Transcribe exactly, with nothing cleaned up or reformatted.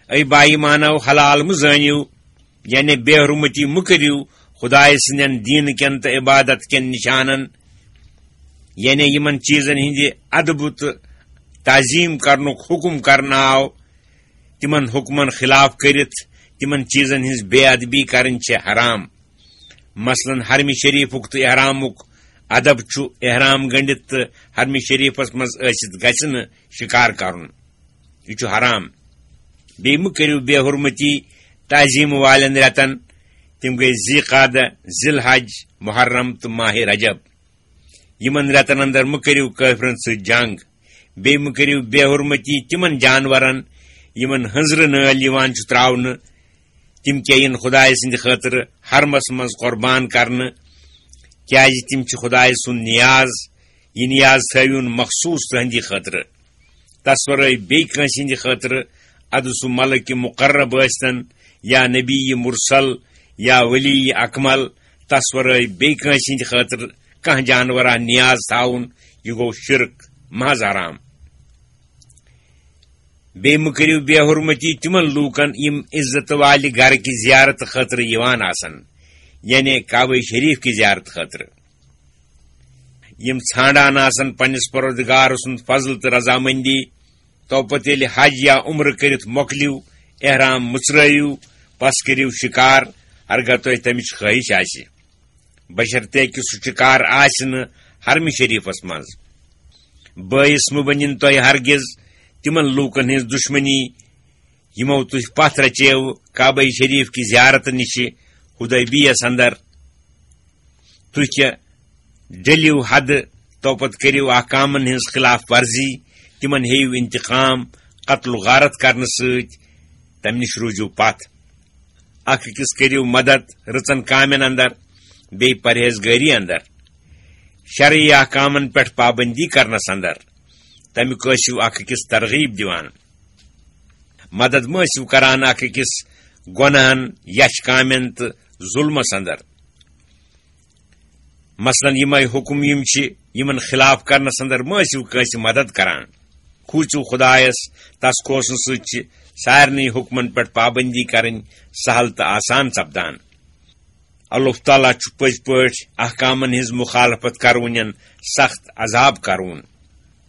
A با ایمانو، حلال مہٕ زٲنِو، یعنی بے حرمتی مہٕ کٔرِو خدایہِ سٕنٛدٮ۪ن دیٖنہٕ کٮ۪ن تہٕ عبادت کٮ۪ن نِشانن، یعنی یِمن چیٖزن ہٕنٛدِ ادبہٕ تہٕ تعظیٖم کرنُک حُکم کرنہٕ آو۔ تِمن حُکمن خلاف کٔرِتھ تِمن چیٖزن ہٕنٛز بے ادبی کرٕنۍ چھےٚ حرام۔ مثلاً، حرمہِ شریٖفُک تہٕ احرامُک ادب چھُ احرام گٔنڈِتھ تہٕ حرمہِ شریٖفس منٛز ٲسِتھ گژھِ نہٕ شِکار کرُن۔ یہِ چھُ حرام۔ بیٚیہِ مہٕ کٔرِو بے حرمتی تعظیٖم والٮ۪ن رٮ۪تن۔ تِم گٔے ذی قعدہ، ذی الحج، محرم تہٕ ماہِ رجب۔ یِمن رٮ۪تن اندر مہٕ کٔرِو کٲفرن سۭتۍ جنگ۔ بیٚیہِ مہٕ کٔرِو بے حرمتی تِمن جانورن، یِمن ہٕنٛزرٕ نٲلۍ یِوان چھُ تراونہٕ۔ تِم کیٛاہ یِن خدایہِ سٕنٛدِ خٲطرٕ حرمس منٛز قربان کرنہٕ، کیٛازِ تِم چھِ خدایہِ سُنٛد نیاز۔ یہِ نیاز تھٲوِوُن مخصوٗص تُہنٛدِ خٲطرٕ، تس ورٲے بیٚیہِ کٲنٛسہِ ہٕنٛدِ خٲطرٕ، ادٕ سُہ ملک مقرب ٲسۍتن یا نبی مرسل یا ولی اکمل، تس ورٲے بیٚیہِ کٲنٛسہِ ہٕنٛدِ خٲطرٕ کانٛہہ جانورا نیاز تھاوُن، یہِ گوٚو شرک، محض حرام۔ بیٚیہِ مہٕ کٔرِو بے حرمتی تِمن لوٗکن، یِم عزت والہِ گرٕ کہِ زیارت خٲطرٕ یِوان آسن، یعنی کعبہ شریف کہِ زیارت خٲطرٕ۔ یِم ژھانڈان آسن پننِس پروردگار سُنٛد فضل تہٕ رضامندی، تو پتہٕ ییٚلہِ حج یا عمرٕ کٔرِتھ مۄکلِو، احرام مُژرٲیِو، پس کٔرِو شِکار، ہرگاہ تۄہہِ تمِچ خٲہِش آسہِ، بشرطیکہِ سُہ شِکار آسہِ نہٕ حرمہِ شریٖفس منٛز۔ بٲیِس مہٕ بٔنِن تۄہہِ ہرگِز تِمن لوٗکن ہٕنٛز دُشمنی، یِمو تُہۍ پتھ رچیو کعبہ شریٖف کہِ زیارت نِشہِ حدیبیس اندر۔ تُہۍ کیٛاہ ڈٔلِو حدٕ، توپتہٕ کٔرِو احکامن ہٕنٛز خلاف ورزی، تِمن ہیٚیِو انتقام قتل و غارت کرنہٕ سۭتۍ، تمہِ نِش روٗزِو پتھ۔ اکھ أکِس کٔرِو مدد رٕژن کامٮ۪ن اندر، بیٚیہِ پرہیزگٲری اندر، شرعی احکامن پٮ۪ٹھ پابندی کرنس اندر، تمیُک ٲسِو اکھ أکِس ترغیب دِوان۔ مدد مہ ٲسِو کران اکھ أکِس گۄناہن، یچھ کامٮ۪ن تہٕ ظلمس اندر۔ مثلاً، یِمے حکم یِم چھِ، یِمن خلاف کرنس اندر مہ ٲسِو کٲنٛسہِ مدد کران۔ کھوٗژِو خدایس، تس کھوژنہٕ سۭتۍ چھِ سارنٕے حکمن پٮ۪ٹھ پابندی کرٕنۍ سہل تہٕ آسان سپدان۔ اللہ تعالیٰ چھُ پٔزۍ پٲٹھۍ احکامن ہٕنٛز مخالفت کرونٮ۪ن سخت عذاب کرون۔